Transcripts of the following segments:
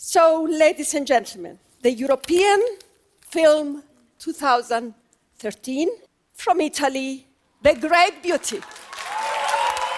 So, ladies and gentlemen, the European film 2013 from Italy, The Great Beauty.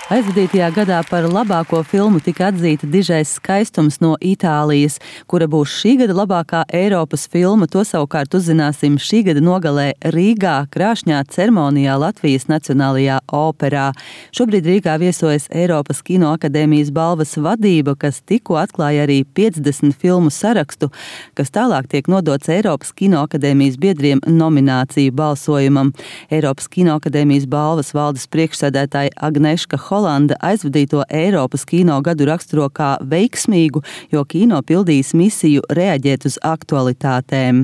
Aizvadītajā gadā par labāko filmu tika atzīta Dižais skaistums no Itālijas, kura būs šī gada labākā Eiropas filma. To savukārt uzzināsim šī gada nogalē Rīgā, krāšņā ceremonijā Latvijas Nacionālajā operā. Šobrīd Rīgā viesojas Eiropas Kinoakadēmijas balvas vadība, kas tikko atklāja arī 50 filmu sarakstu, kas tālāk tiek nodots Eiropas Kinoakadēmijas biedriem nomināciju balsojumam. Eiropas Kinoakadēmijas balvas valdes priekšsēdētāja Agneška Holanda aizvadīto Eiropas kino gadu raksturo kā veiksmīgu, jo kino pildījis misiju reaģēt uz aktualitātēm.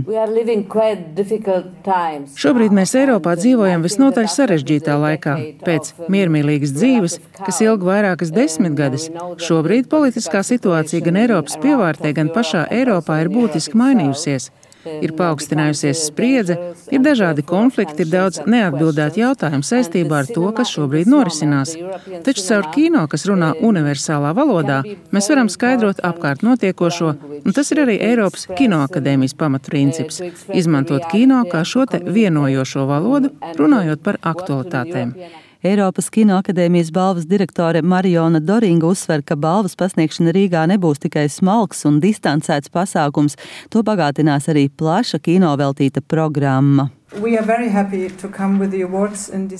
Šobrīd mēs Eiropā dzīvojam visnotaļ sarežģītā laikā. Pēc miermīlīgas dzīves, kas ilga vairākas desmitgades, šobrīd politiskā situācija gan Eiropas pievārtē, gan pašā Eiropā ir būtiski mainījusies. Ir paaugstinājusies spriedze, ir dažādi konflikti, ir daudz neatbildētu jautājumu saistībā ar to, kas šobrīd norisinās. Taču caur kino, kas runā universālā valodā, mēs varam skaidrot apkārt notiekošo, un tas ir arī Eiropas Kinoakadēmijas pamatprincips – izmantot kino kā šo te vienojošo valodu, runājot par aktualitātēm. Eiropas Kinoakadēmijas balvas direktore Mariona Doringa uzsver, ka balvas pasniegšana Rīgā nebūs tikai smalks un distancēts pasākums, to bagātinās arī plaša kino veltīta programma.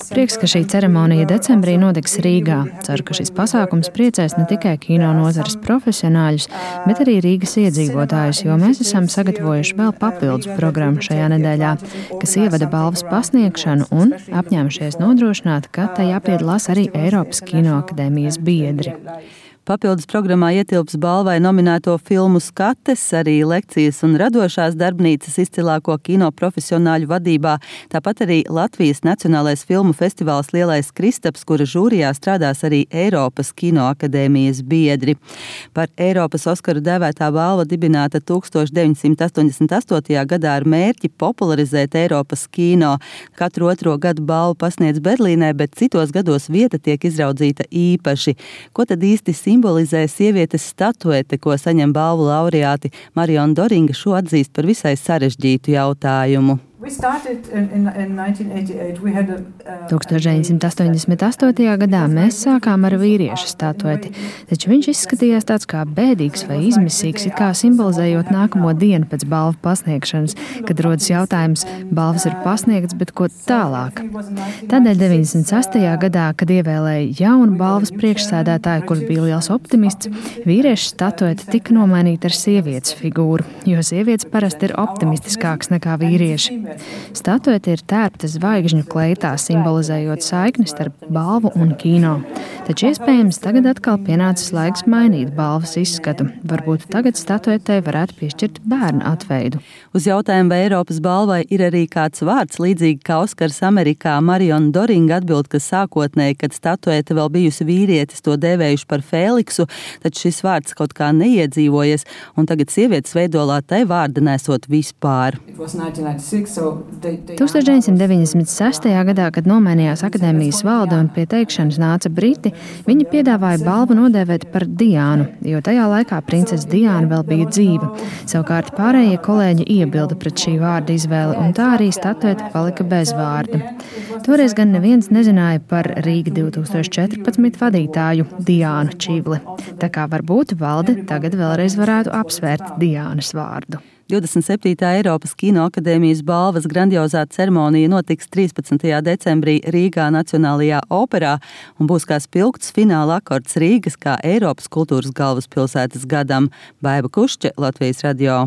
Prieks, ka šī ceremonija decembrī notiks Rīgā. Ceru, ka šis pasākums priecēs ne tikai kino nozares profesionāļus, bet arī Rīgas iedzīvotājus, jo mēs esam sagatavojuši vēl papildus programmu šajā nedēļā, kas ievada balvas pasniegšanu un apņēmušies nodrošināt, ka tajā piedalās arī Eiropas Kinoakadēmijas biedri. Papildus programmā ietilps balvai nominēto filmu skates, arī lekcijas un radošās darbnīcas izcilāko kino profesionāļu vadībā, tāpat arī Latvijas Nacionālais filmu festivāls Lielais Kristaps, kura žūrijā strādās arī Eiropas Kinoakadēmijas biedri. Par Eiropas Oskaru dēvētā balva dibināta 1988. Gadā ar mērķi popularizēt Eiropas kino. Katru otro gadu balvu pasniedz Berlīnē, bet citos gados vieta tiek izraudzīta īpaši. Ko tad īsti simbolizē sievietes statuete, ko saņem balvu laureāti? Mariona Doringa šo atzīst par visai sarežģītu jautājumu. 1988. gadā mēs sākām ar vīrieša statueti, taču viņš izskatījās tāds kā bēdīgs vai izmisīgs, it kā simbolizējot nākamo dienu pēc balvu pasniegšanas, kad rodas jautājums, balvas ir pasniegts, bet ko tālāk? Tādēļ 96. gadā, kad ievēlēja jaunu balvas priekšsēdētāju, kurš bija liels optimists, vīrieša statuete tika nomainīta ar sievietes figūru, jo sievietes parasti ir optimistiskākas nekā vīrieši. Statuete ir tērpta zvaigžņu kleitā, simbolizējot saikni starp balvu un kino. Taču iespējams tagad atkal pienācis laiks mainīt balvas izskatu. Varbūt tagad statuetei varētu piešķirt bērnu atveidu. Uz jautājumu, vai Eiropas balvai ir arī kāds vārds, līdzīgi kā Oskars Amerikā, Mariona Doringa atbild, ka sākotnēji, kad statuete vēl bijusi vīrietis, to dēvējuši par Fēliksu, taču šis vārds kaut kā neiedzīvojies, un tagad sievietes veidolā tai vārda nesot vispār. 1996. gadā, kad nomainījās akadēmijas valde un pie teikšanas nāca Briti, viņi piedāvāja balvu nodēvēt par Diānu, jo tajā laikā princese Diāna vēl bija dzīva. Savukārt pārējie kolēģi iebilda pret šī vārda izvēli, un tā arī statuete palika bez vārda. Toreiz gan neviens nezināja par Rīga 2014 vadītāju Diānu Čivli. Tā kā varbūt valde tagad vēlreiz varētu apsvērt Diānas vārdu. 27. Eiropas Kinoakadēmijas balvas grandiozā ceremonija notiks 13. decembrī Rīgā Nacionālajā operā un būs kā spilgts fināla akords Rīgas kā Eiropas kultūras galvaspilsētas gadam. Baiba Kušķe, Latvijas radio.